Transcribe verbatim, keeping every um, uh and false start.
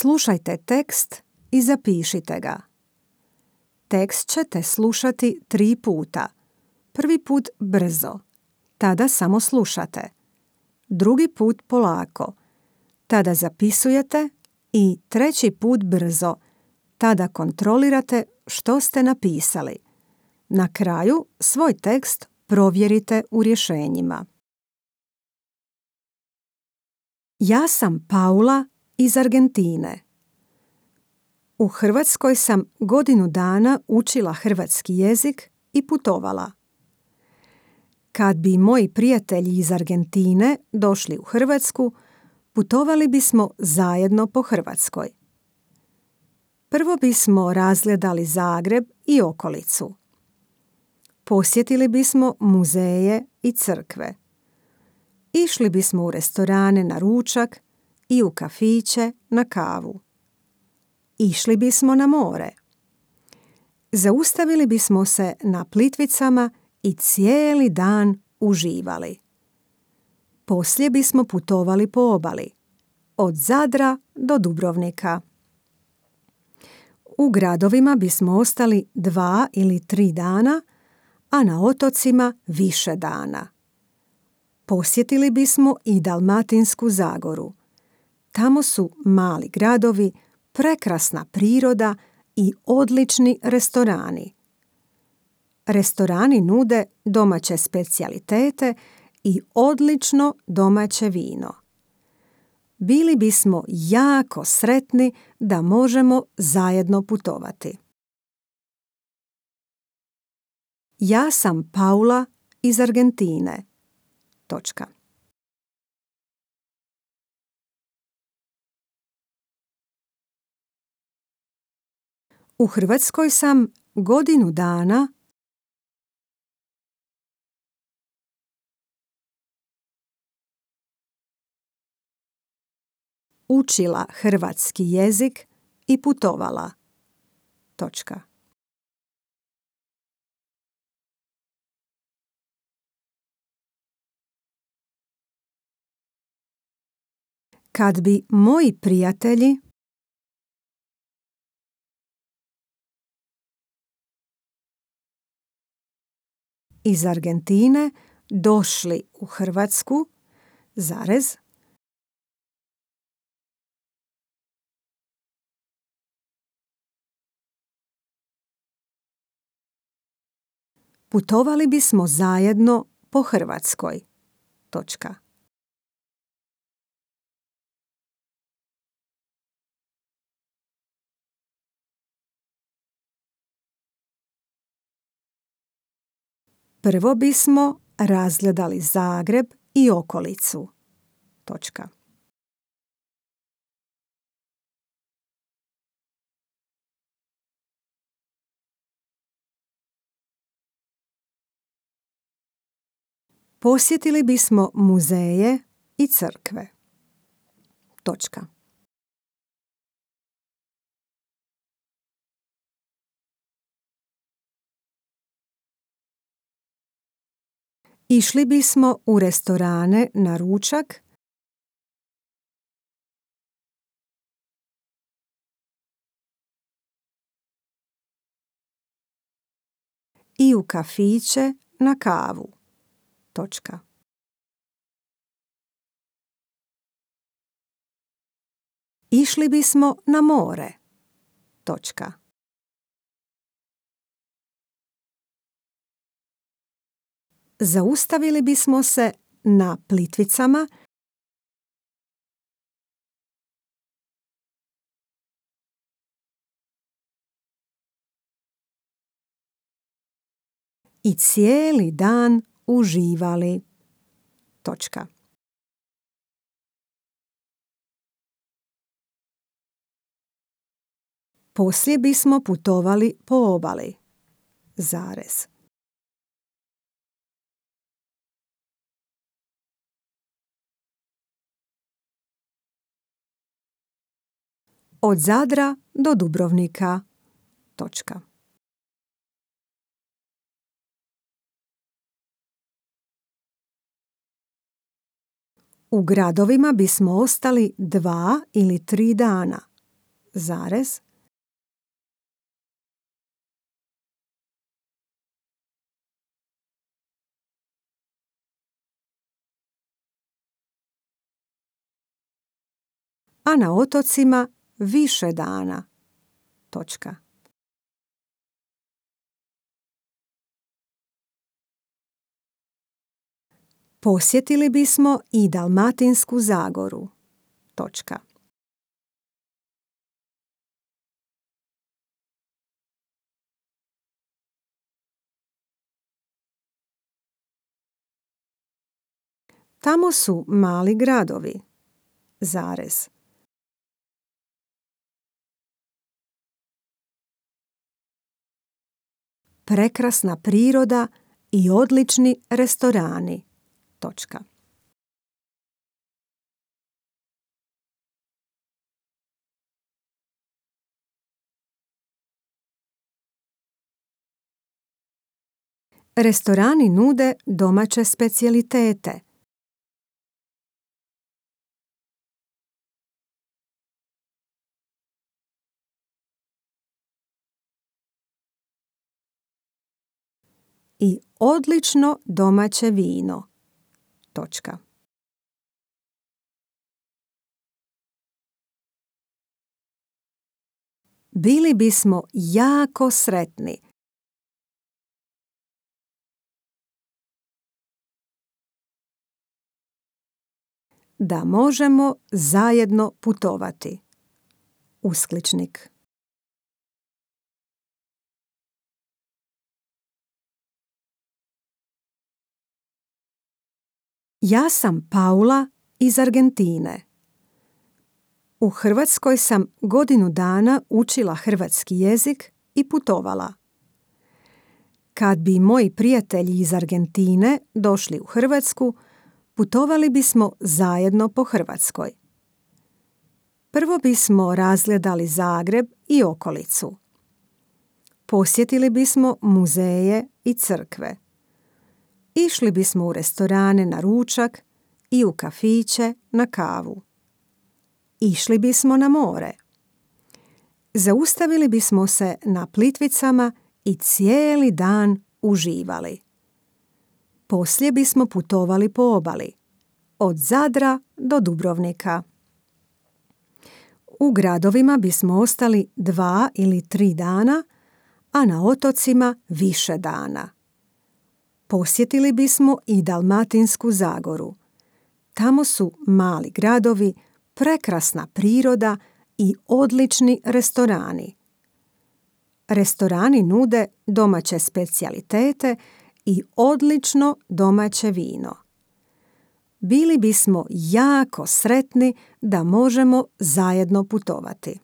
Slušajte tekst i zapišite ga. Tekst ćete slušati tri puta. Prvi put brzo, tada samo slušate. Drugi put polako, tada zapisujete i treći put brzo, tada kontrolirate što ste napisali. Na kraju svoj tekst provjerite u rješenjima. Ja sam Paula iz Argentine. U Hrvatskoj sam godinu dana učila hrvatski jezik i putovala. Kad bi moji prijatelji iz Argentine došli u Hrvatsku, putovali bismo zajedno po Hrvatskoj. Prvo bismo razgledali Zagreb i okolicu. Posjetili bismo muzeje i crkve. Išli bismo u restorane na ručak i u kafiće na kavu. Išli bismo na more. Zaustavili bismo se na Plitvicama i cijeli dan uživali. Poslije bismo putovali po obali, od Zadra do Dubrovnika. U gradovima bismo ostali dva ili tri dana, a na otocima više dana. Posjetili bismo i Dalmatinsku Zagoru. Tamo su mali gradovi, prekrasna priroda i odlični restorani. Restorani nude domaće specijalitete i odlično domaće vino. Bili bismo jako sretni da možemo zajedno putovati. Ja sam Paula iz Argentine. Točka. U Hrvatskoj sam godinu dana učila hrvatski jezik i putovala. Točka. Kad bi moji prijatelji iz Argentine došli u Hrvatsku, zarez, putovali bismo zajedno po Hrvatskoj. Točka. Prvo bismo razgledali Zagreb i okolicu. Točka. Posjetili bismo muzeje i crkve. Točka. Išli bismo u restorane na ručak i u kafiće na kavu. Točka. Išli bismo na more. Točka. Zaustavili bismo se na Plitvicama i cijeli dan uživali. Točka. Poslije bismo putovali po obali. Zarez. Od Zadra do Dubrovnika. Točka. U gradovima bismo ostali dva ili tri dana. zarez, a na otocima više dana. Točka. Posjetili bismo i Dalmatinsku zagoru. Točka. Tamo su mali gradovi. Zarez. Prekrasna priroda i odlični restorani. Točka. Restorani nude domaće specijalitete. I odlično domaće vino. Točka. Bili bismo jako sretni da možemo zajedno putovati. Uskličnik. Ja sam Paula iz Argentine. U Hrvatskoj sam godinu dana učila hrvatski jezik i putovala. Kad bi moji prijatelji iz Argentine došli u Hrvatsku, putovali bismo zajedno po Hrvatskoj. Prvo bismo razgledali Zagreb i okolicu. Posjetili bismo muzeje i crkve. Išli bismo u restorane na ručak i u kafiće na kavu. Išli bismo na more. Zaustavili bismo se na Plitvicama i cijeli dan uživali. Poslije bismo putovali po obali, od Zadra do Dubrovnika. U gradovima bismo ostali dva ili tri dana, a na otocima više dana. Posjetili bismo i Dalmatinsku zagoru. Tamo su mali gradovi, prekrasna priroda i odlični restorani. Restorani nude domaće specijalitete i odlično domaće vino. Bili bismo jako sretni da možemo zajedno putovati.